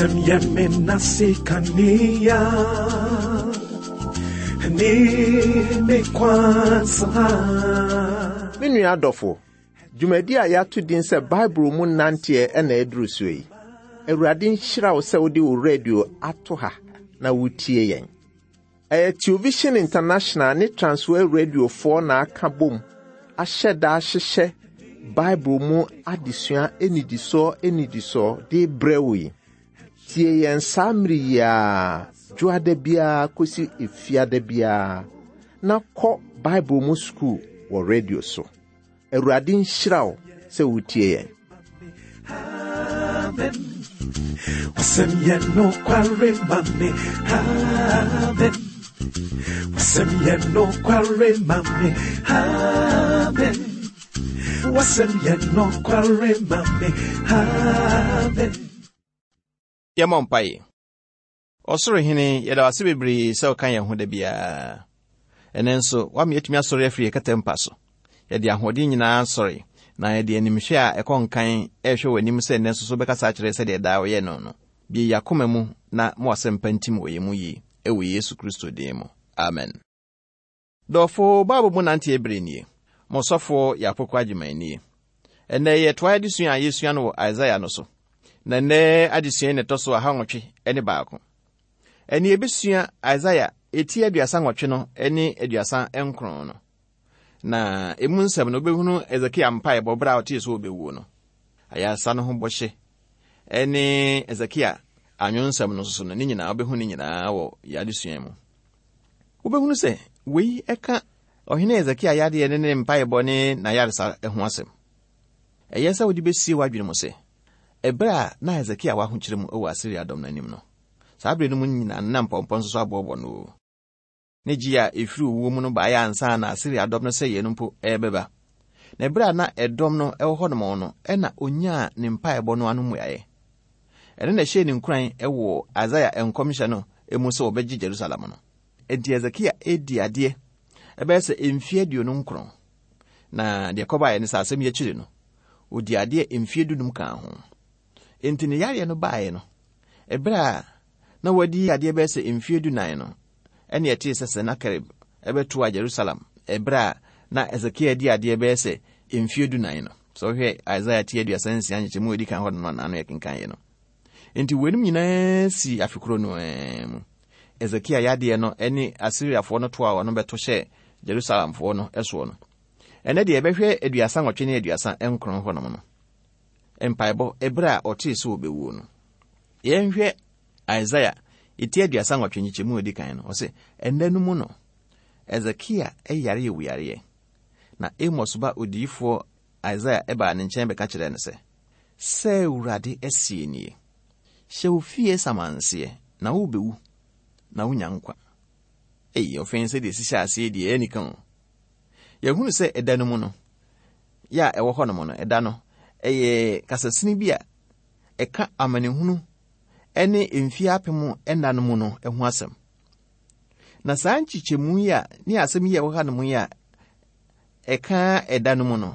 Wasɛm yɛ me nase kanea ne me kwan saa. Me nua adɔfo, dwumadi a yɛato din sɛ Bible mu nanteɛ na aduru so yi. Awurade nhyira wo sɛ wode wo radio ato ha na wotie yɛn. Ɛyɛ Television International ne Transworld Radiofoɔ na aka bom ahyɛ da ahyehyɛ Bible mu adesua nnidisoɔ nnidisoɔ de brɛ wo yi. Tie yɛn saa mmere yi ara, dwoada biara kɔsi efiada biara, na kɔ Bible mu sukuu wɔ radio so. Awurade nhyira wo sɛ wotie yɛn. Amen. Wasɛm yɛ nokware ma me. Amen. Wasɛm yɛ nokware ma me. Amen. Wasɛm yɛ nokware ma me. Amen. Yɛmmɔ mpaeɛ. Ɔsoro Hene, yɛda wo ase bebree sɛ woka yɛn ho da biara. Ɛnnɛ nso, woama yɛatumi asɔre afiri yɛn kɛtɛ mpa so. Yɛde ahoɔden nyinaa sɔre, na yɛde animhwɛ a ɛkɔ nkan rehwɛ w'anim sɛ nnɛ nso so wobɛkasa akyerɛ sɛdeɛ daa woyɛ no no. Bue yɛn akoma mu na ma w'asɛmpa ntim wɔ yɛn mu yie, wɔ Yesu Kristo din mu. Amen. Dɔfo, Bible mu nanteɛ bere nie. Mo sɔfoɔ yɛ Apoko Agyeman nie. Ɛnnɛ yɛtoa adesua a yɛsua no wɔ Isaiah no so. Na nnɛ adesua yi na ɛtɔ so ahanwɔtwe ne baako. Ɛnne yɛbɛsua Isaiah eti 38 no ne 39 no. Na emu nsɛm no wobɛhunu Hesekia mpaebɔ berɛ a ɔtee sɛ ɔbɛwuo no. Ayaresa no ho bɔhyɛ ne Hesekia anwonsɛm no nso so no, ne nyinaa wobɛhu ne nyinaa wɔ yɛn adesua mu. Wobɛhunu sɛ wei ka Ɔhene Hesekia yadeɛ ne ne mpaebɔ ne n'ayaresa ho asɛm. Ɛyɛ sɛ wode bɛsie w'adwene mu sɛ, ɛberɛ a na Hesekia wɔ ahokyerɛ mu wɔ Asiria dɔm no anim no, saa berɛ no mu nyinaa na mpɔmpɔ nso so aboɔbɔ no o. Ne gye a ɛfiri owuo mu no baeɛ ansa na Asiria dɔm no sɛeɛ no mpo ɛrebɛba. Na ɛberɛ a na ɛdɔm no wɔ hɔnom no na ɔnyaa ne mpaebɔ no ano mmuaeɛ. Ɛno na ɛhyɛɛ ne nkuran wɔ Isaia nkɔmhyɛ no mu sɛ wɔbɛgye Jerusalem no. Enti Hesekia redi adeɛ ɛbɛyɛ sɛ mfeɛ 29. Na deɛ ɛkɔbaeɛ ne sɛ asɛm yi akyiri no, ɔdi adeɛ mfeɛ 15 kaa ho. Enti ne yareɛ no baeɛ no, ɛberɛ a na wadi adeɛ bɛyɛ sɛ mfeɛ 14 no, ɛne ɛtee sɛ Senakerib ɛbɛtoa Jerusalem ɛberɛ a na Hesekia di adeɛ bɛyɛ sɛ mfeɛ 14 no. Sɛ wohwɛ Isaia ti 36 nkyekyɛmu a ɛdi kan hɔ no na ano yɛkenkan yɛ no. Enti weinom nyinaa sii afe koro no ara mu. Hesekia yadeɛ no ne Asiriafoɔ no toa wɔn bɛto hyɛɛ Jerusalemfoɔ no soɔ no. Ɛnɛ deɛ yɛbɛhwɛ 38 ne 39 hɔnom no. Mpaebɔ ɛberɛ a ɔtee sɛ ɔbɛwuo no. Yɛnhwɛ Isaia ti 38 nkyekyɛmu a ɛdi kan no. Ɔse, ɛnna no mu no, Hesekia yare owuyareɛ. Na Amos ba odiyifoɔ Isaia baa ne nkyɛn bɛka kyerɛɛ no sɛ, Sɛ Awurade seɛ nie, Hyɛ wo fie samanseɛ, na worebɛwu, na wonya nkwa. Ei, ɔfɛn sɛdeɛ ɛsi hyɛ aseɛ deɛ, ɛyɛ anika o. Yɛhunu sɛ ɛda no mu no, yɛ a ɛwɔ hɔnom no, ɛda no, ɛyɛ kasasini bi a ɛka amanehunu ne mfeɛ apem nna no mu no ho asɛm. Na saa nkyekyɛmu yi a ne asɛm yi a ɛwɔ hanom yi a ɛka ɛda no mu no,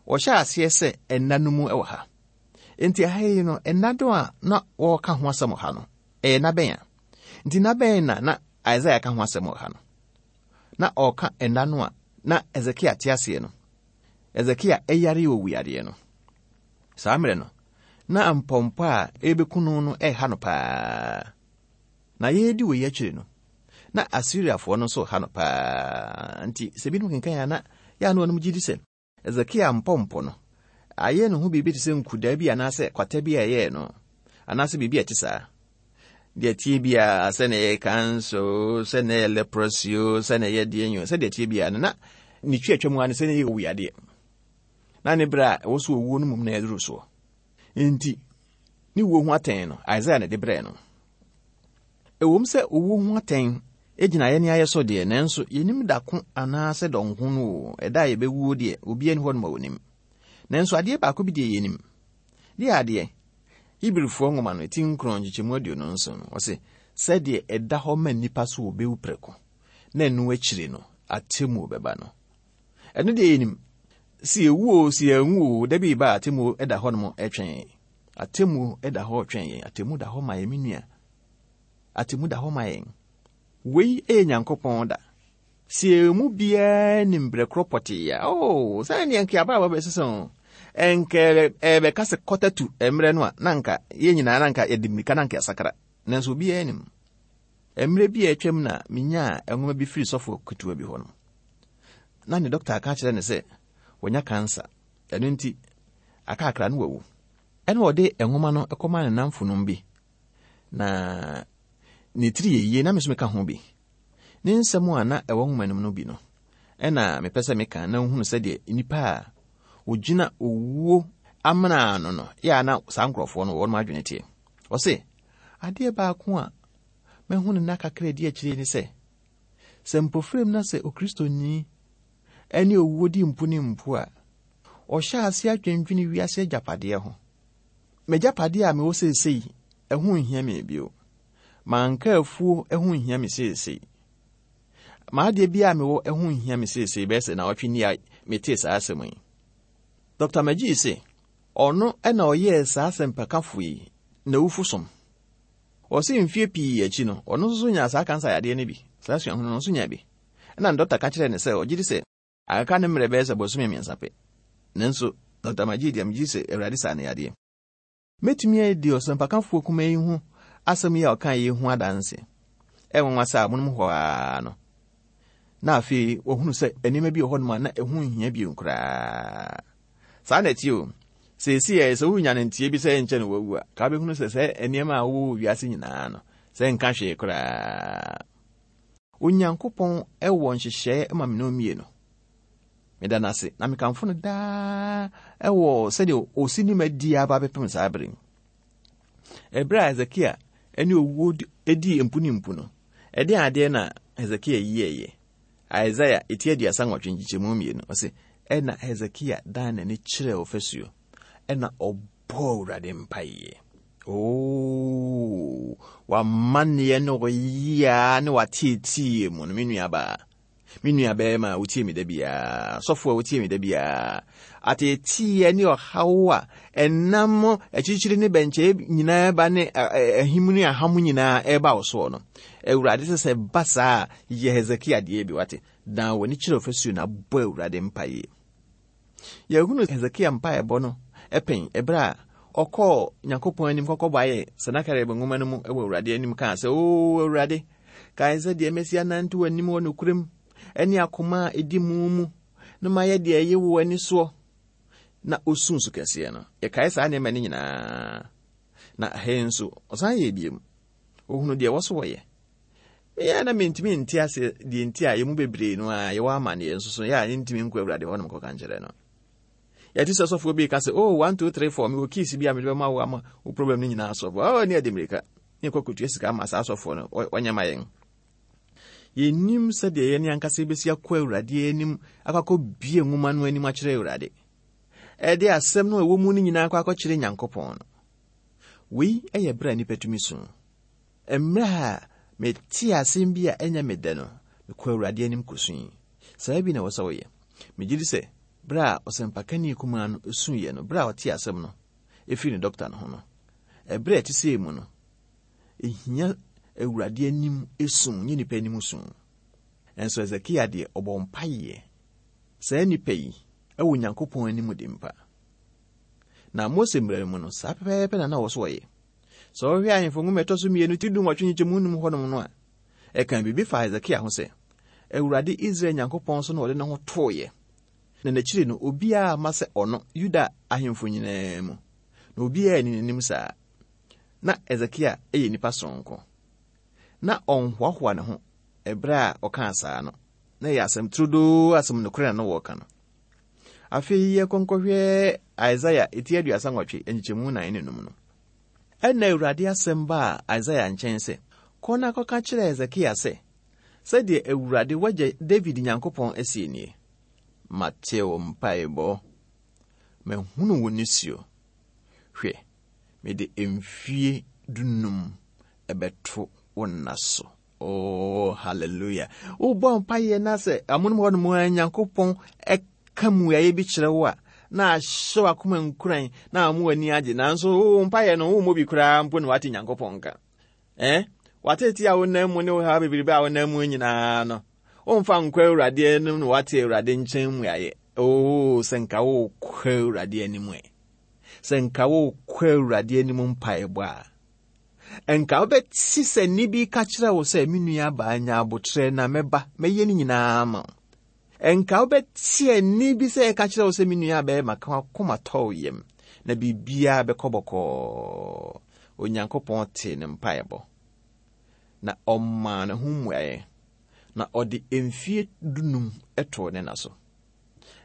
wɔhyɛ aseɛ sɛ ɛnna no mu wɔ ha. Enti ɛha yi no, ɛnna do a na wɔreka ho asɛm wɔ ha no, ɛyɛ nna bɛn a? Nti nna bɛn na na Isaiah ka ho asɛm wɔ ha no? Na ɔreka ɛnna no a na Hesekia te aseɛ no. Hesekia ɛyare owuyareɛ no. Saa mmerɛ no, na mpɔmpɔ a ɛrebɛku no no ɛreha no paa. Na yɛredi wei akyiri no, na Asiriafoɔ no nso reha no paa. Nti sɛ binom kenkan a na yɛ a na wɔnom gye di sɛ Hesekia mpɔmpɔ no ayɛ ne ho biribi te sɛ nkudaa bi anaasɛ kwata bi a ɛyɛɛ no anaasɛ biribi a ɛte saa. Deɛ ɛteɛ biara sɛ na ɛyɛ kansa o, sɛ na ɛyɛ leprosy o, sɛ na ɛyɛ deɛ o, sɛ deɛ ɛteɛ biara no na ne twi atwa mu ara ne sɛ na ɛyɛ owuyadeɛ. Na ne berɛ a ɛwɔ so owuo no mmom na ɛduru soɔ. Enti ne wuo ho atɛn no, Isaiah na ɛde brɛɛ no. Ɛwom sɛ owuo ho atɛn gyina yɛn ayɛ so deɛ, nanso yɛnim da ko anaasɛ dɔnko no o, ɛda a yɛbɛwuo deɛ, obiara nni hɔ nom a ɔnim. Nanso adeɛ baako bi deɛ yɛnim. Deɛ adeɛ? Hebrifoɔ nwoma no, ti 9 nkyekyɛmu 27 no, ɔse, sɛdeɛ ɛda hɔ ma nnipa so wɔbɛwu prɛko, na ɛno akyiri no, atemmuo bɛba no. Ɛno deɛ yɛnim. Sɛ yɛwu o, sɛ yɛanwu o, da bi reba a atemmuo da hɔ nom retwɛn. Atemmuo da hɔ retwɛn yɛn. Atemmu da hɔ ma yɛn, me nua. Atemmu da hɔ ma yɛn. Wei yɛ Nyankopɔn da. Sɛ yɛn mu biara nim berɛ korɔ pɔtee a, oh, sɛ ɛneɛ nka abrabɔ bɛsesa o. Ɛnka ɛbɛka sɛ kɔtatu mmerɛ no a, na nka yɛn nyinaa na nka yɛde mmirika na nka yɛasakra. Nanso obiara nim. Mmerɛ bi a atwam na menyaa nwoma bi firi sɔfo ketewa bi hɔ no. Na ne dɔkta aka akyerɛ no sɛ wanya kansa. Ɛno nti, aka akra no wawu. Ɛna ɔde nwoma no kɔmaa ne nnamfonom bi. Na ne tiri yɛ yie na me nso meka ho bi. Ne nsɛm a na ɛwɔ nwoma no mu no bi no, ɛna mepɛ sɛ meka na wohunu sɛdeɛ nnipa a wɔgyina owuo amena ano no yɛ a na saa nkurɔfoɔ no wɔn adwene teɛ. Ɔse, adeɛ baako a mahu no nna kakra adi akyire ne sɛ, sɛ mpofirim na sɛ Okristoni ne owuo di mpo ne mpo a, ɔhyɛ ase adwendwene wiase agyapadeɛ ho. M'agyapadeɛ a mewɔ seesei, ɛho nhia me bio. M'anka afuo ho nhia me seesei. M'adeɛ biara a mewɔ ho nhia me seesei bɛyɛ sɛ naawɔtwe ni a metee saa asɛm yi. Dr. McGee se, ɔno na ɔyɛɛ saa asɛmpakafo yi n'awufo som. Ɔse mfeɛ pii akyi no, ɔno nso so nyaa saa kansa yadeɛ no bi, saa suahunu no nso nyaa bi. Ɛna ne dɔkta ka kyerɛɛ no sɛ ɔgye di sɛ aka ne mmerɛ bɛyɛ sɛ bosome mmiɛnsa pɛ. Nanso, Dr. McGee deɛ megye di sɛ Awurade saa no yadeɛ. Mɛtumi adi ɔsɛmpakafoɔ kumaa yi ho asɛm yi a ɔkaeɛ yi ho adanse. Ɛyɛ nwanwa sɛ amonom hɔ ara no, na afei wahunu sɛ nneɛma bi wɔ hɔnom a na ɛho nhia bio koraa. Saa na ɛteɛ o. Seesei ɛ, sɛ wonya no nteɛ bi sɛ ɛnkyɛ no wawu a, ka wobɛhunu sɛ sɛ nneɛma a wowɔ wɔ wiase nyinaa no, sɛ nka hwee koraa. Onyankopɔn wɔ nhyehyɛe ma me ne wo mmienu. Meda no ase na mekamfo no daa wɔ sɛdeɛ ɔsi ne ma di aba bɛpem saa bere yi. Ɛberɛ a Hesekia ne owuo dii mpu ne mpu no, ɛdeɛn adeɛ na Hesekia yɛeɛ? Isaiah eti 38 nkyekyɛmu 2, ɔse, Ɛna Hesekia dan n'ani kyerɛɛ ɔfasuo, ɛna ɔbɔɔ Awurade mpaeɛ. Oo, w'amanneɛ ne ɔyea ne w'ateeteeɛ mu no, me nuabaa, Me nua barima a wotie me da biara, sɔfo a wotie me da biara, ateeteeɛ ne ɔhaw a ɛnam akyirikyiri ne bɛnkyɛe nyinaa ba ne ahim ne aham nyinaa ɛreba wo soɔ no, Awurade sɛ sɛ ba saa a, yɛ Hesekia deɛ bi wate, dan w'ani kyerɛ ɔfasuo na bɔ Awurade mpaeɛ. Yɛhunu Hesekia mpaebɔ no pɛn ɛberɛ a ɔkɔɔ Nyankopɔn anim kɔkɔbɔ ayɛ Senakerib nwoma no mu wɔ Awurade anim kaa sɛ, O Awurade, kae sɛ deɛ masi anante w'anim wɔ nokorɛm ne akoma a ɛdi mu mu na mayɛ deɛ ɛyɛ wɔ w'ani soɔ. Na ɔsuu su kɛseɛ no. Yɛkae saa nneɛma no nyinaa. Na ha yi nso, ɔsan yɛɛ biom. Ɔhunu deɛ ɛwɔ so wɔyɛ. Meyɛ na mentumi nte ase deɛ nti a yɛn mu bebree no a yɛwɔ amanneɛ nso so yɛ a yɛntumi nkɔ Awurade hɔnom kɔka nkyerɛ no. Yɛte sɛ sɔfoɔ bi ka sɛ, oh, 1, 2, 3, 4, mewɔ keys bi a mede bɛma wo ama wo problem no nyinaa sɔfo. Oh, ne ɛde mmirika. Ne kɔ kɔtua sika ama saa sɔfoɔ no, wɔnyɛ ma yɛn. Yɛnnim sɛdeɛ yɛne ankasa yɛbɛsi akɔ Awurade anim akɔ akɔbie nwoma no anim akyerɛ Awurade. Ɛde asɛm no a ɛwɔ mu no nyinaa akɔ akɔkyerɛ Nyankopɔn no. Wei yɛ berɛ a nnipa tumi su. Mmerɛ a metee asɛm bi a ɛnyɛ me dɛ no, mekɔɔ Awurade anim kɔsui. Saa bi na ɛwɔ sɛ woyɛ. Megye di sɛ berɛ a ɔsɛmpakani kumaa no suiɛ no, berɛ a ɔtee asɛm no firii ne dɔkta no ho no, ɛberɛ a ɛte sei mu no, ɛhia Awurade anim su, nyɛ nnipa anim su. Nanso Hesekia deɛ, ɔbɔɔ mpaeɛ. Saa nnipa yi wɔ Onyankopɔn anim de mpa. Na Mose mmara no mu no, saa pɛpɛɛpɛ na na ɔwɔ so ɔyɛ. Sɛ wohwɛ Ahemfo Nwoma ɛtɔ so mmienu ti dunwɔtwe nkyekyɛmu num hɔnom no a, ɛka biribi fa Hesekia ho sɛ, Awurade Israel Nyankopɔn so na ɔde ne ho tooeɛ, na n'akyiri no obiara amma sɛ ɔno, Yuda ahemfo nyinaa mu, na obiara anni n'anim saa. Na Hesekia yɛ nipa soronko. Na ɔnhoahoa ne ho ɛberɛ a ɔkaa saa no. Na ɛyɛ asɛm turodoo, asɛm nokorɛ na na wɔreka no. Afei yɛkɔ nkɔhwɛ Isaia eti 38 nkyekyɛmu 4 ne num no. Ɛnna Awurade asɛm baa Isaia nkyɛn sɛ, Kɔ na kɔka kyerɛ Hesekia sɛ, 'Sɛdeɛ Awurade w'agya Dawid Nyankopɔn seɛ nie, Mate wo mpaebɔ, mahunu wo nisuo. Hwɛ, mede mfie dunum bɛto wo nna so. Oh, hallelujah. Wobɔ mpaeɛ na sɛ amonom hɔ nom a Nyankopɔn ɛka mmuaeɛ bi kyerɛ wo a, na ahyɛ w'akoma nkuran na ama w'ani agye nanso wo mpaeɛ no wommɔ bi koraa mpo na wate Nyankopɔn nka. Eh? W'ateetee a wonam mu ne wo haw bebrebe a wonam mu nyinaa no, womfa nkɔ Awurade anim na wate Awurade nkyɛn mmuaeɛ. Oo, sɛ nka wokɔ Awurade anim ɛ. Sɛ nka wokɔ Awurade anim mpaebɔ a, nka wobɛte sɛ nne bi ka kyerɛ wo sɛ, me nua baa nya abotrɛ na mɛba, mɛyɛ ne nyinaa ama wo. Nka wobɛte nne bi sɛ ɛka kyerɛ wo sɛ, me nua bɛrima, ka w'akoma tɔ wo yam, na biribiara bɛkɔ bɔkɔɔ. Onyankopɔn tee ne mpaebɔ, na ɔmaa ne ho mmuaeɛ, na ɔde mfie dunum too ne na so.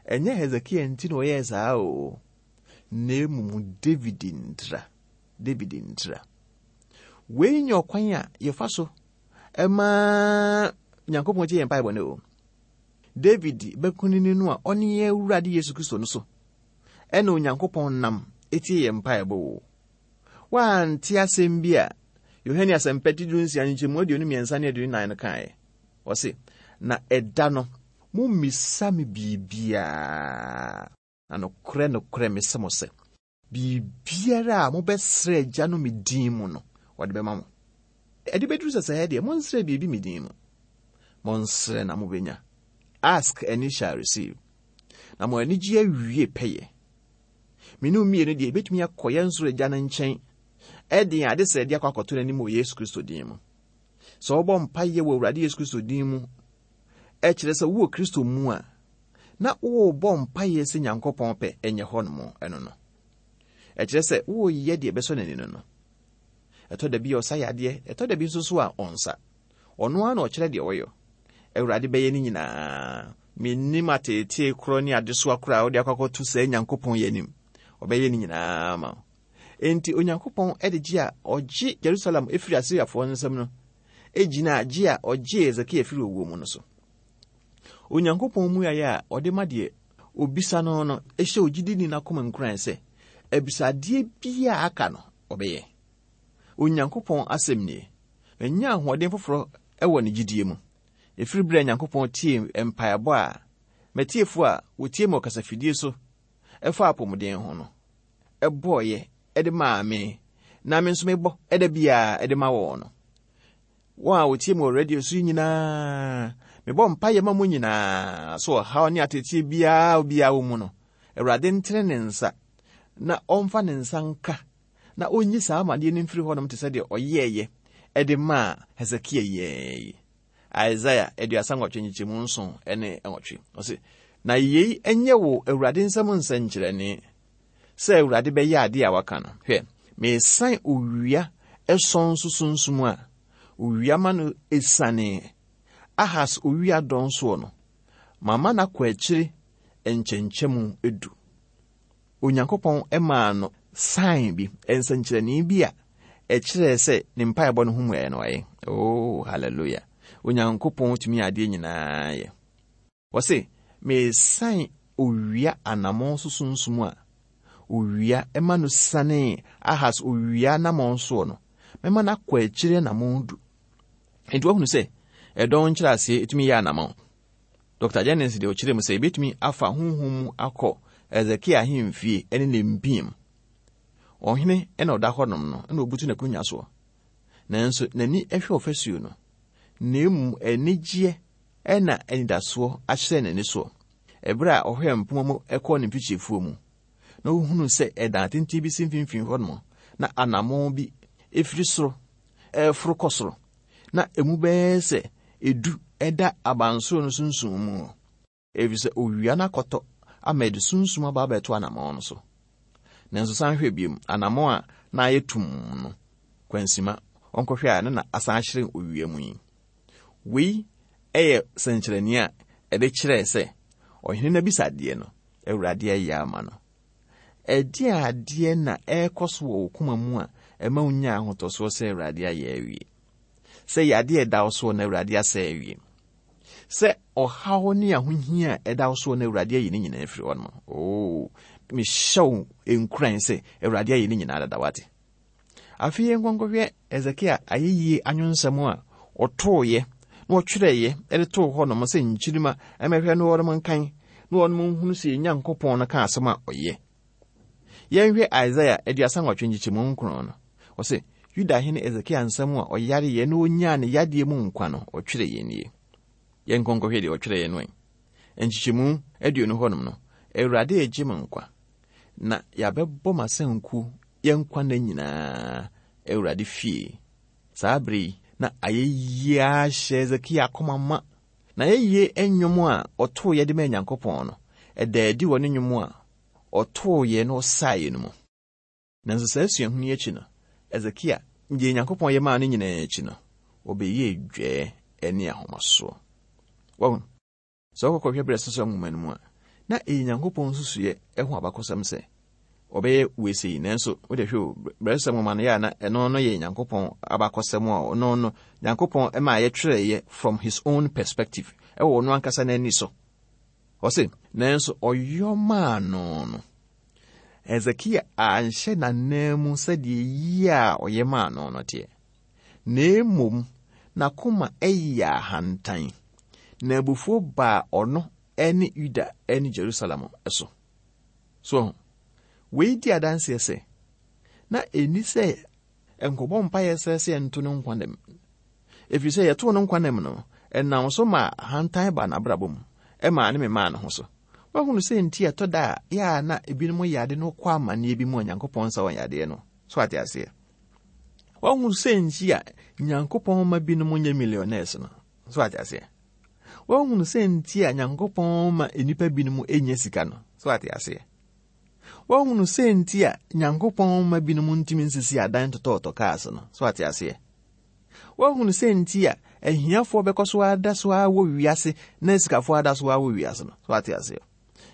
Ɛnyɛ Hesekia nti na ɔyɛɛ saa o, na mmom David ntira. David ntira. Wei nyɛ ɔkwan a yɛfa so ma Nyankopɔn tie yɛn mpaebɔ no o. David bɛkunini no a ɔne yɛn Awurade Yesu Kristo no so ɛna Onyankopɔn nam tie yɛn mpaebɔ o. Woante asɛm bi a Yohane Asɛmpa ti 16 nkyɛmu 23 ne 24 no kaeɛ? Ɔse, Na ɛda no, mommisa me biribiara, na nokorɛ nokorɛ mese mo sɛ, biribiara a mobɛsrɛ Agya no me din mu no, ɔde bɛma mo. Ɛde bɛduru sɛsɛɛ deɛ, monsrɛ biribi me din mu. Monsrɛ na mobɛnya. Ask and ye shall receive. Na mo anigye awie pɛyɛ. Me ne wo mmienu deɛ, yɛbɛtumi akɔ yɛn soro Agya no nkyɛn de yɛn adesrɛdeɛ akɔ akɔto n'anim wɔ Yesu Kristo din mu. Sɛ wobɔ mpaeɛ wɔ Awurade Yesu Kristo din mu, ɛkyerɛ sɛ wowɔ Kristo mu a, na worebɔ mpaeɛ sɛ Nyankopɔn pɛ ɛnyɛ hɔ nom ɛno no. Ɛkyerɛ sɛ woreyɛ deɛ ɛbɛsɔ n'ani no no. Ɛtɔ da bi a ɔsa yadeɛ, ɛtɔ da bi nso so a ɔnsa. Ɔno ara na ɔkyerɛ deɛ ɔyɔ. Awurade bɛyɛ ne nyinaa. Mennim ateetee korɔ ne adesoa korɔ a wode akɔ akɔto saa Nyankopɔn yi anim. Ɔbɛyɛ ne nyinaa ama wo. Enti Onyankopɔn de gye a ɔgye Jerusalem firi Asiriafoɔ nsam no gyinaa gye a ɔgyee Hesekia firi owuo mu no so. Onyankopɔn mmuaeɛ a ɔde ma deɛ obisa no no hyɛ ogyidini no akoma nkuran sɛ abisadeɛ biara a aka no ɔbɛyɛ. Onyankopɔn asɛm nie. Manya ahoɔden foforɔ wɔ ne gyidie mu. Ɛfiri berɛ a Nyankopɔn tiee mpaebɔ a m'atiefoɔ a wɔtie me wɔ kasafidie so fa apɔmuden ho no bɔeɛ de maa me na me nso mebɔ da biara de ma wɔn no. Wɔn a wɔtie me wɔ radio so yi nyinaa, mebɔ mpaeɛ ma mo nyinaa so ɔhaw ne ateteɛ biara obiara wɔ mu no, Awurade ntene ne nsa na ɔmfa ne nsa nka na ɔnyi saa amadeɛ no mfiri hɔnom te sɛ deɛ ɔyɛeɛ de maa Hesekia yi. Isaiah 38 nkyekyɛmu 7 ne 8. Ɔse, Na yei nyɛ wo Awurade nsam nsɛnkyerɛnne, sɛ Awurade bɛyɛ adeɛ a waka no. Hwɛ, meresan owia sɔn so sunsum a owia ma no esiane Ahas owia dɔn soɔ no, mama no akɔ akyiri nkyɛnkyɛmu du. Onyankopɔn maa no sign bi, nsɛnkyerɛnne bi a ɛkyerɛɛ sɛ ne mpaebɔ no ho mmuaeɛ no ayɛ. Oh, hallelujah. Onyankopɔn tumi adeɛ nyinaa yɛ. Wɔse, meresan owia anammɔn so sunsum a owia ma no sianee Ahas owia anammɔn soɔ no, mɛma no akɔ akyiri anammɔn du. Enti woahunu sɛ ɛdɔn nkyerɛaseɛ ɛtumi yɛ anammɔn. Dɔkta Jennings de ɔkyerɛ mu sɛ ebetumi afa honhom mu akɔ Hesekia ahemfie ne ne mpia mu. Ɔhene na ɔda hɔnom no na obutu n'akonnwa soɔ. Nanso n'ani hwɛ ɔfasuo no, na mmom anigyeɛ na anidasoɔ ahyerɛn n'ani soɔ. Ɛberɛ a ɔhwɛɛ mpoma mu kɔɔ ne mfikyifuo mu, na ɔhunuu sɛ ɛdan tenten bi si mfimfini hɔnom, na anammɔn bi firi soro reforo kɔ soro. na emu bɛyɛ sɛ edu da abansoro no sunsum mu, efisɛ owia no akɔtɔ ama ɛde sunsum aba abɛto anammɔn no so. Nanso san hwɛ bio, anammɔn a na ayɛ tumm no, kwansima, ɔnkɔhwɛ a na na asan ahyerɛn owia mu yi. Wei yɛ sɛnkyerɛnne a ɛde kyerɛɛ sɛ ɔhene no abisadeɛ no, Awurade ayɛ ama no. Ɛdeɛn adeɛ na ɛrekɔ so wɔ wo koma mu a ɛma wonya ahotɔsoɔ sɛ Awurade ayɛ awie? Sɛ yadeɛ a ɛda wo soɔ na Awurade asɛ awie? Sɛ ɔhaw ne ahohia a ɛda wo soɔ na Awurade ayi ne nyinaa afiri hɔ nom? Oo, mehyɛ wo nkuran sɛ Awurade ayi ne nyinaa dada wate. Afei yɛnkɔ nkɔhwɛ Hesekia ayɛyie anwonsɛm a ɔtooeɛ na ɔtwerɛeɛ de too hɔ nom sɛ nkyirimma mmɛhwɛ no wɔnom nkan. na wɔnom nhunu sɛ yɛn Nyankopɔn no ka asɛm a ɔyɛ. Yɛnhwɛ Isaia 38 nkyekyɛmu 9 no. Ɔse, Yuda hene Hesekia nsɛm a ɔyareeɛ na ɔnyaa ne yadeɛ mu nkwa no, ɔtwerɛeɛ nie. Yɛnkɔ nkɔhwɛ deɛ ɔtwerɛeɛ no ɛ. Nkyekyɛmu 20 hɔnom no, Awurade regye me nkwa, na yɛabɛbɔ m'asanku yɛn nkwa nna nyinaa Awurade fie. Saa bere yi, na ayɛyie ara hyɛ Hesekia akoma ma. Na ayɛyie nnwom a ɔtooeɛ de maa Nyankopɔn no, ɛdaa adi wɔ ne nnwom a ɔtooeɛ na ɔsaeɛ no mu. Nanso saa suahunu yi akyi no, Hesekia, deɛ Nyankopɔn yɛ maa no nyinaa akyi no, ɔbɛyɛɛ dwɛɛ ne ahomasoɔ. Wahu? Sɛ wokɔkɔhwɛ Berɛsosɛm nwoma no mu a, na ɛyɛ Nyankopɔn nsusuiɛ ho abakɔsɛm sɛ ɔbɛyɛ wei sei, nanso wode hwɛ o, Berɛsosɛm nwoma no yɛ a na ɛno no yɛ Nyankopɔn abakɔsɛm a ɔno no Nyankopɔn ma yɛtwerɛeɛ from his own perspective, ɛwɔ ɔno ankasa n'ani so. Ɔse, nanso ɔyɔ maa no no, Hesekia anhyɛ n'ananmu sɛdeɛ yie a ɔyɛ maa no no teɛ. Na mmom n'akoma yɛɛ ahantan, na abufuo baa ɔno ne Yuda ne Jerusalem so. So ho? Wei di adanseɛ sɛ, na ɛnni sɛ nkɔbɔ mpaeɛ sɛ sɛ yɛnto no nkwa nam. Ɛfiri sɛ yɛtoo no nkwa nam no, ɛnam so ma ahantan baa n'abrabɔ mu, ɛmaa ne memaa ne ho so. Woahunu sɛ nti ɛtɔ da a yɛ a na ebinom yɛ ade no kɔ amanneɛ bi mu a Nyankopɔn nsa wɔn yadeɛ no. So ate aseɛ? Wahu sɛ nti a Nyankopɔn ma binom nyɛ millionaires no. So ate aseɛ? Wahunu sɛ nti a Nyankopɔn ma nnipa binom nya sika no. So ate aseɛ? Wahunu sɛ nti a Nyankopɔn ma binom ntumi nsisi adan totɔɔtɔ cars no. So ate aseɛ? Wahunu sɛ nti a ahiafoɔ bɛkɔ so ada so ara wɔ wiase na asikafoɔ ada so ara wɔ wiase no. So ate aseɛ?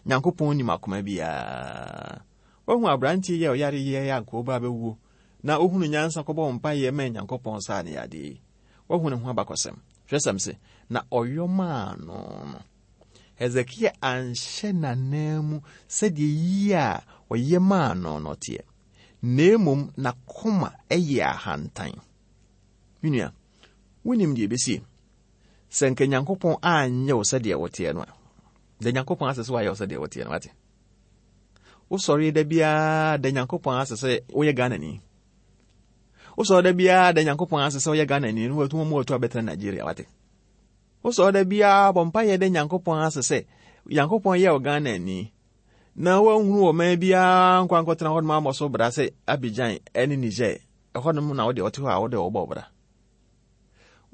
Nyankopɔn nim akoma biara. Wahu aberanteɛ yi a ɔyare yɛ a anka ɔba abɛwuo na ohunu nyansa kɔbɔ mpaeɛ maa Nyankopɔn saa ne yadeɛ yi. Wahu ne ho abakɔsɛm. Twerɛsɛm se, na ɔyɔ maa no no. Hesekia anhyɛ n'ananmu sɛdeɛ yie a ɔyɛ maa no no teɛ, na mmom n'akoma yɛ ahantan. Me nua, wonim deɛ ɛbɛsie? Sɛ nka Nyankopɔn anyɛ wo sɛdeɛ woteɛ no a, da Nyankopɔn ase sɛ wayɛ wo sɛdeɛ woteɛ no, wate? Wosɔre da biara da Nyankopɔn ase sɛ woyɛ Ghanani. Wosɔre da biara da Nyankopɔn ase sɛ woyɛ Ghanani no watu mu watu abɛtena Nigeria wate. Wosɔre da biara bɔ mpaeɛ da Nyankopɔn ase sɛ Nyankopɔn yɛ wo Ghanani na woanhunu wɔ man biara nkɔ ankɔtena hɔnom ammɔ so bra sɛ Abidjan ne Niger ɛhɔnom na wode ɔte hɔ a wode wɔbɔ bra.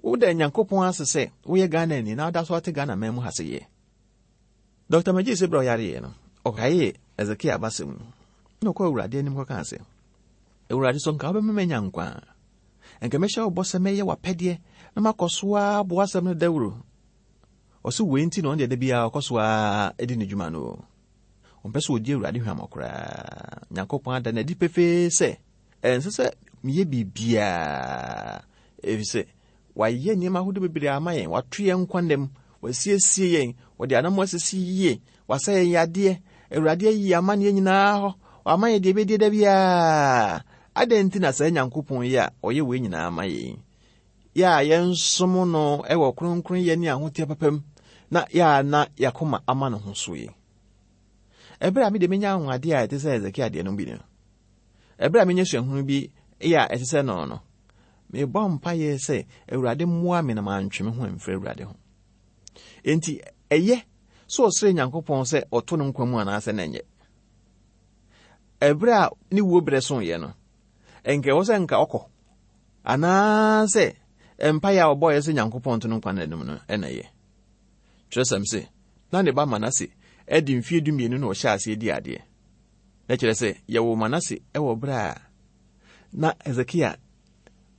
Woda Nyankopɔn ase sɛ woyɛ Ghanani na woda so ate Ghana man mu ha sɛ yɛ. Dɔkta McGee sɛ berɛ a ɔyareeɛ no, ɔkaee Hesekia abasɛm no, na ɔkɔɔ Awurade anim kɔkaa sɛ, Awurade, sɛ nka wobɛma manya nkwa a, nka mɛhyɛ wo bɔ sɛ mɛyɛ w'apɛdeɛ na makɔ so ara abɔ w'asɛm no dawuro. Ɔse wei nti na ɔno deɛ da biara ɔkɔ so ara di ne dwuma no. Ɔmpɛ sɛ ɔdi Awurade hwammɔ koraa. Nyankopɔn ada no adi pefee sɛ ɛnsɛ sɛ meyɛ biribiara, ɛfiri sɛ Wayɛ nneɛma ahodoɔ bebree ama yɛn. Wato yɛn nkwa nna mu. Wasiesie yɛn. Ɔde anam asisi yie. Wasa yɛn yadeɛ. Awurade ayi yɛn amanneɛ nyinaa hɔ. Wama yɛn deɛ ɛbɛdie da biara. Adɛn nti na saa Nyankopɔn yi a ɔyɛ wei nyinaa ma yɛn yi, yɛ a yɛnsom no wɔ kronkronyɛ ne ahoteɛ papa mu, na yɛ a na yɛakoma ama ne ho so yi? Ɛberɛ a me deɛ menya anwanwadeɛ a ɛte sɛ Hesekia deɛ no bi no, ɛberɛ a menya suahunu bi yɛ a ɛte sɛ no no, Mebɔ mpaeɛ sɛ Awurade mmoa me na mantwe me ho amfiri Awurade ho. Enti ɛyɛ sɛ ɔsrɛ Nyankopɔn sɛ ɔto no nkwa mu anaasɛ na ɛnyɛ. Ɛberɛ a ne wuo berɛ soeɛ no, ɛnka ɛwɔ sɛ nka ɔkɔ anaasɛ mpaeɛ a ɔbɔeɛ sɛ Nyankopɔn to no nkwa n'anim no ɛna ɛyɛ. Twerɛsɛm se, na ne ba Manase adi mfeɛ dumienu na ɔhyɛ aseɛ di adeɛ. Na kyerɛ sɛ yɛwoo Manase wɔ berɛ a na Hesekia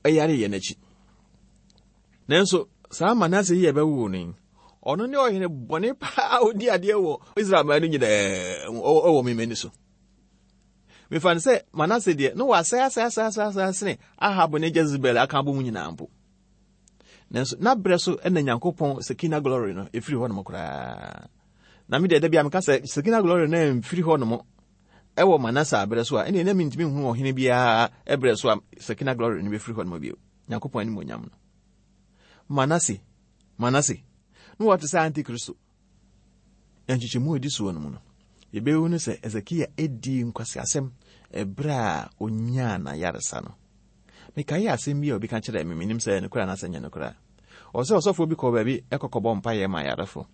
yareyɛ no akyi. Nanso saa Manase yi a ɛbɛwoo no yi, ɔno ne ɔhene bɔne paa a ɔdi adeɛ wɔ Israel man no nyinaa mu wɔ me m'ani so. Mefa no sɛ Manase deɛ, na wasɛe asɛe asɛe asɛe asɛe sene Ahab ne Jezebel aka abɔ mu nyinaa mpo. Nanso na berɛ so na Nyankopɔn Sekina glory no ɛfiri hɔ nom koraa. Na me deɛ da bi a meka sɛ Sekina glory no amfiri hɔ nom ɛwɔ Manase aberɛ so a, ɛneɛ na mentumi nhunu ɔhene biara ɛberɛ so a Sekina glory no bɛfiri hɔ nom bio. Nyankopɔn animuonyam no. Manase, Manase, na wɔte sɛ Antikristo. Nkyekyɛmu a ɛdi soɔ no mu no, yɛbɛhu no sɛ Hesekia dii nkwaseasɛm ɛberɛ a ɔnyaa n'ayaresa no. Mekae asɛm bi a obi ka kyerɛɛ me, menim sɛ ɛyɛ nokorɛ anaasɛ ɛnyɛ nokorɛ a. Ɔsɛ ɔsɔfoɔ bi kɔɔ baabi kɔkɔbɔ mpaeɛ ma ayarefo.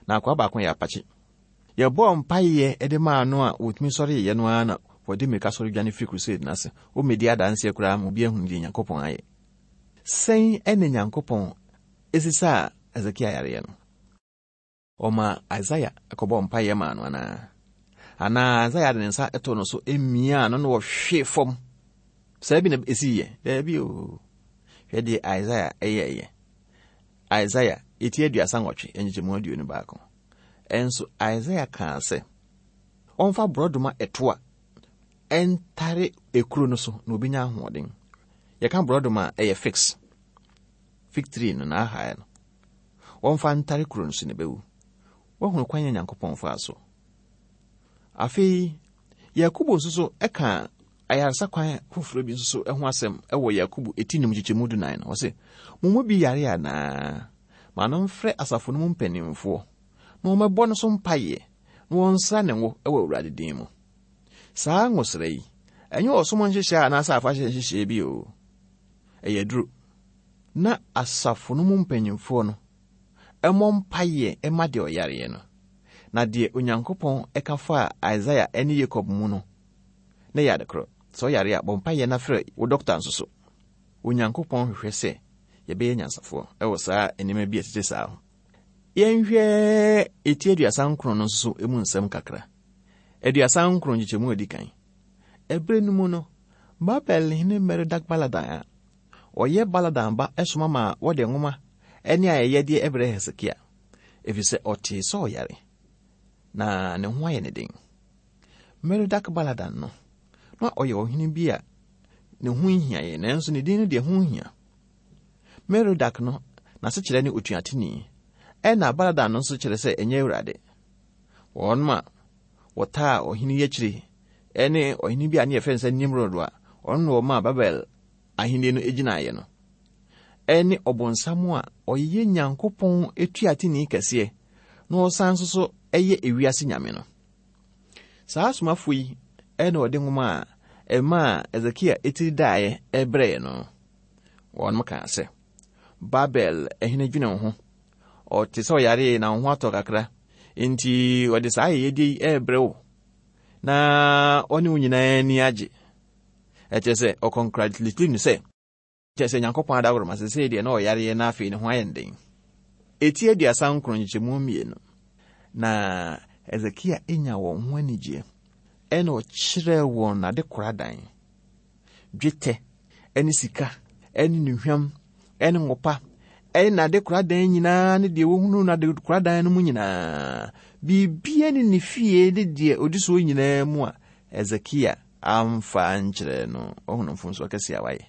Na akoa baako yɛ apakye. Yɛbɔɔ mpaeɛ de maa no a wɔtumi sɔreeɛ no ara na wɔde mmirika sɔre dwane firi crusade no ase. Wɔmmɛdi adanseɛ koraa ma obi ahunu deɛ Nyankopɔn ayɛ. Sɛn na Nyankopɔn sisaa Hesekia yareɛ no? Ɔmaa Isaiah kɔbɔɔ mpaeɛ maa no anaa? Anaa Isaiah de ne nsa too no so miaa no na ɔhwee fam? Saa bi na ɛsiiɛ? Daabi o. Hwɛ deɛ Isaiah yɛeɛ. Isaiah eti 38 nkyekyɛmu 21. Ɛnso Isaiah kaa sɛ ɔmfa borɔdoma ɛtoa ɛntare ekuro no so na obɛnya ahoɔden. Yɛka borɔdoma a ɛyɛ fix. Fig tree no na ahae no. Wɔmfa ntare kuro no so na ɛbɛwu. Woahunu kwan a Nyankopɔn faa so. Afei, Yakobo nso so ka ayaresa kwan foforɔ bi nso so ho asɛm wɔ Yakobo eti num kyekyɛmu dunan no. Ɔse, mo mu bi yare anaa? Ma no mfrɛ asafo no mu mpanimfoɔ na wɔmmɛbɔ no so mpaeɛ na wɔnsra ne ngo wɔ Awurade din mu. Saa ngosra yi, ɛnyɛ ɔsom nhyehyɛe anaasɛ afahyɛ nhyehyɛe bi o. Ɛyɛ aduro. Na asafo no mu mpanyimfoɔ no mmɔ mpaeɛ mma deɛ ɔyareɛ no. Na deɛ Onyankopɔn ka faa Isaiah ne Yakob mu no, na ɛyɛ ade korɔ. Sɛ ɔyare a, bɔ mpaeɛ na frɛ wo dɔkta nso so. Onyankopɔn hwehwɛ sɛ yɛbɛyɛ nyansafoɔ wɔ saa nneɛma bi a ɛtete saa ho. Yɛnhwɛ eti 39 no nso so mu nsɛm kakra. 39 nkyekyɛmu a ɛdi kan. Ɛberɛ no mu no, Babel hene Merodak-Baladan a ɔyɛ Baladan ba soma maa wɔde nwoma ne ayɛyɛdeɛ brɛɛ Hesekia, ɛfiri sɛ ɔtee sɛ ɔyare, na ne ho ayɛ ne den. Merodak Baladan no, na ɔyɛ ɔhene bi a ne ho nhiaeɛ, nanso ne din no deɛ ho hia. Merodak no, n'asekyerɛ ne otuateni, ɛna Baladan no nso kyerɛ sɛ ɛnyɛ Awurade. Wɔn a wɔtaa ɔhene yi akyire ne ɔhene bi a ne yɛfrɛ no sɛ Nimrod a ɔno na ɔmaa Babel ahenni no gyinaeɛ no, ɛne ɔbonsam a ɔyɛ Nyankopɔn tuateni kɛseɛ na ɔsan nso so yɛ ewiase nyame no. Saa asomafoɔ yi na ɔde nwoma a ɛmaa Hesekia tiri daeɛ brɛɛ no. Wɔn kaa sɛ, Babel hene dwene wo ho. Ɔte sɛ ɔyaree na wo ho atɔ kakra. Enti ɔde saa ayɛyɛdeɛ yi rebrɛ wo na ɔne wo nyinaa ani agye. Ɛkyerɛ sɛ ɔkɔnkratulatiri no sɛ, kyerɛ sɛ Nyankopɔn adaworoma sesei deɛ na ɔyareɛ na afei ne ho ayɛ den. Eti 39 nkyekyɛmu mmienu. Na Hesekia nya wɔn ho anigyeɛ, ɛna ɔkyerɛɛ wɔn n'adekoradan, dwetɛ ne sika ne nnuhwam ne ngo pa ne n'adekoradan nyinaa ne deɛ wɔhunu n'adekoradan no mu nyinaa, biribiara ne ne fie ne deɛ ɔdi soɔ nyinaa mu a Hesekia amfa ankyerɛ no. Ɔhunu mfomsoɔ kɛseɛ a wayɛ.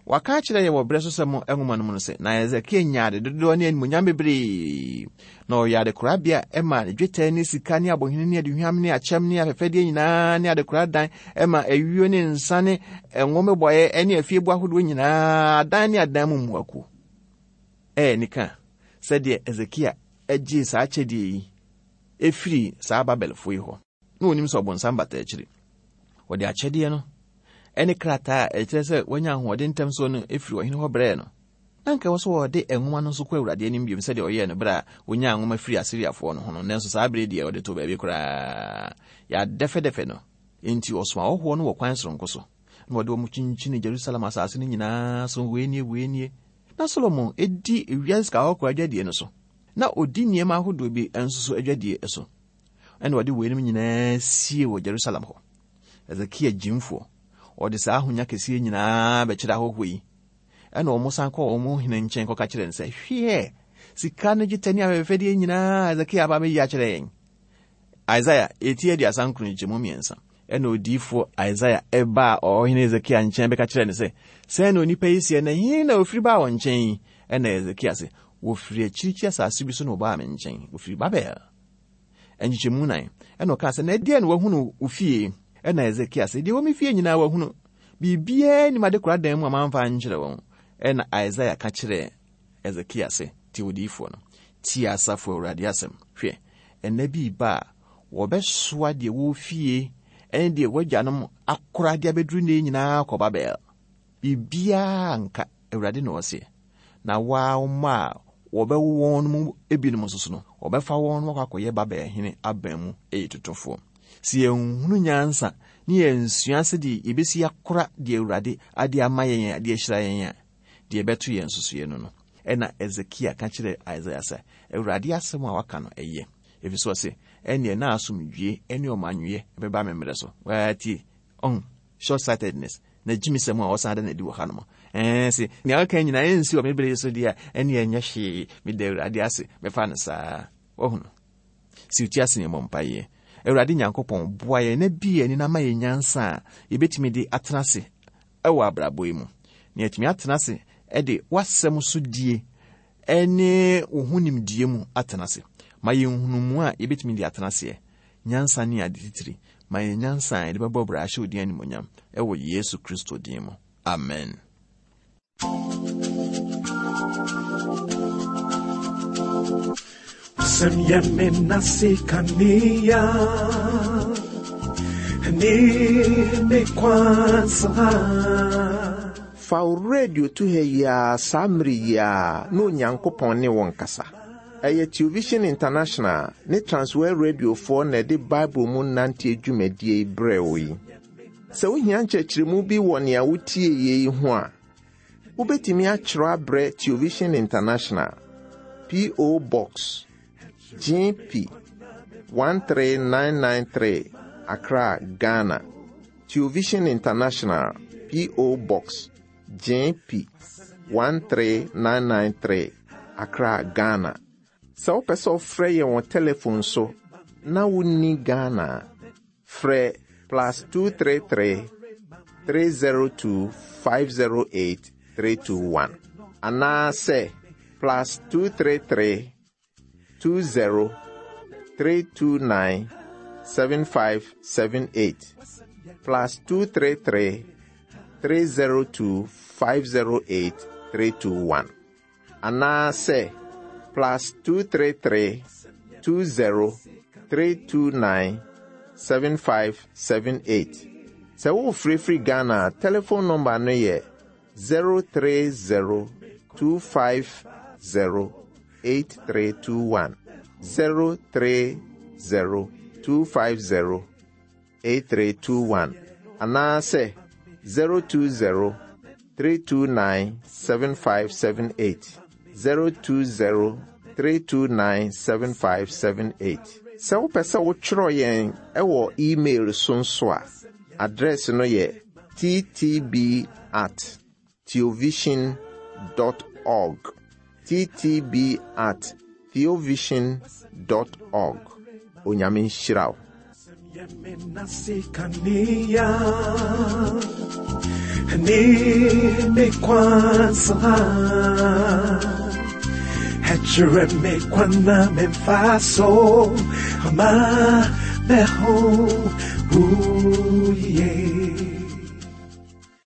Waka akyerɛ yɛn wɔ Berɛsosɛm nwoma no mu no sɛ, na Hesekia nyaa ade dodoɔ ne animuonyam bebree, na ɔyɛ adekorabea ma ne dwetɛ ne sika ne abohene ne aduhwam ne akyɛm ne afɛfɛdeɛ nyinaa ne adekoradan ma ayuo ne nsa ne ngo mmobɔeɛ ne afieboa ahodoɔ nyinaa, adan ne adan mu mmoakuo. Ɛyɛ anika sɛdeɛ Hesekia gyee saa akyɛdeɛ yi ɛfiri saa Babelfoɔ yi hɔ. Na wɔnim sɛ ɔbonsam bata akyiri. Wɔde akyɛdeɛ no ne krataa a ɛkyerɛ sɛ wanya ahoɔden ntɛm soɔ no firi ɔhene hɔ brɛɛ no. Na anka ɛwɔ sɛ ɔde nwoma no nso kɔ Awurade anim bio sɛdeɛ ɔyɛɛ no berɛ a ɔnyaa nwoma firii Asiriafoɔ no ho no, nanso saa berɛ yi deɛ ɔde too baabi koraa. Yɛadɛfɛdɛfɛ no. Enti ɔsomaa ahɔhoɔ no wɔ kwan soronko so, na ɔde wɔn kyinkyinii Jerusalem asase no nyinaa so, wei nie, wei nie. Na Solomon di wiase sika kɔkɔɔ adwadie no so, na ɔdi nneɛma ahodoɔ bi nso so adwadie so. Ɛna ɔde weinom nyinaa sie wɔ Jerusalem hɔ. Hesekia gyimfoɔ, ɔde saa ahonya kɛseɛ nyinaa bɛkyerɛ ahɔhoɔ yi. Ɛna wɔn san kɔɔ wɔn hene nkyɛn kɔka kyerɛ no sɛ, hwɛ, sika ne dwetɛ ne afɛfɛdeɛ nyinaa Hesekia aba abɛyi akyerɛ yɛn. Isaiah eti 39 nkyɛmu mmiɛnsa. Ɛna odiyifoɔ Isaiah ɛbaa ɔhene Hesekia nkyɛn bɛka kyerɛ no sɛ, sɛn na onipa yi seɛ, na he na ofiri baa wɔn nkyɛn yi? Ɛna Hesekia se, wɔfiri akyirikyiri asase bi so na wɔbaa me nkyɛn, wɔfiri Babel. Nkyekyɛmu nan. Ɛna ɔkaa sɛ, na ɛdeɛn na wahunu wo fie? Ɛna Hesekia sɛ, deɛ wɔ me fie nyinaa wahunu. Biribiara nnim adekora dan mu a mamfa ankyerɛ wɔn. Ɛna Isaiah ka kyerɛɛ Hesekia sɛ, tie odiyifoɔ no. Tie asafo Awurade asɛm. Hwɛ, Ɛnna bi reba a, wɔbɛsoa deɛ ɛwɔ wo fie ne deɛ w'agyanom akora de abɛduru nnɛ yi nyinaa akɔ Babel. Biribiara nka, Awurade na ɔseɛ. Na wo ara wo mma a wɔbɛwo wɔn no mu ebinom nso so no, wɔbɛfa wɔn na wɔakɔ akɔyɛ Babel hene aban mu ayitotofoɔ. Sɛ yɛnhunu nyansa ne yɛnsua sɛdeɛ yɛbɛsi akora deɛ Awurade ade ama yɛn de ahyira yɛn a, deɛ ɛbɛto yɛn nsusuiɛ no no. Ɛnna Hesekia ka kyerɛɛ Isaia sɛ, Awurade asɛm a waka no, ɛyɛ. Ɛfiri sɛ ɔse, Ɛnneɛ na asomdwoeɛ ne ɔmannwoeɛ bɛba me mmerɛ so. Waa tie, ɔho, short-sightedness, na gyimisɛm a ɔsan da no adi wɔ hanom. Ɛɛ se, nea ɔka nyinaa ɛnsi wɔ me bere so deɛ a, ɛnneɛ ɛnyɛ hwee. Meda Awurade ase, mɛfa no saa. Wahu no? Si wo ti ase na yɛmmɔ mpaeɛ. Awurade Nyankopɔn, boa yɛn na bue yɛn ani na ma yɛn nyansa a yɛbɛtumi de atena ase wɔ abrabɔ yi mu, na yɛatumi atena ase de w'asɛm so die ne wo ho nimdeɛ mu atena ase. Ma yɛn nhunumu a yɛbɛtumi de atena aseɛ, nyansa ne ade titiri. Ma yɛn nyansa a yɛde bɛbɔ bra ahyɛ wo din animuonyam wɔ Yesu Kristo din mu. Amen. Sɛm yɛ me nase kanea ne me kwansa. Fa wo radio to ha yi ara saa mmere yi ara na Onyankopɔn ne wo nkasa. Ɛyɛ Television International ne Transworld Radiofoɔ na ɛde Bible mu nanteɛ dwumadie yi brɛɛ wo yi. Sɛ wohia nkyerɛkyerɛmu bi wɔ nea wotieeɛ yi ho a, wobɛtumi atwerɛ abrɛ Television International, P.O. Box, GP 13993, Accra, Ghana. Television International, P.O. Box, GP 13993, Accra, Ghana. Sɛ wopɛ sɛ wofrɛ yɛn wɔ telefon so na wonni Ghana a, frɛ plus 233 302 508 321 anaasɛ plus 233 20 329 7578 plus 233 302 508 321 anaasɛ plus 233 20 329 7578. Sɛ worefrɛfiri Ghana a, telefon nɔmba no yɛ 030 250 8321. 030 250 8321 anaasɛ 020 329 7578 020 329 7578. Sɛ wopɛ sɛ wotwerɛ yɛn wɔ email so nso a, address no yɛ ttb at theovision dot org ttb at theovision dot org Onyame nhyira wo. Ooh, yeah.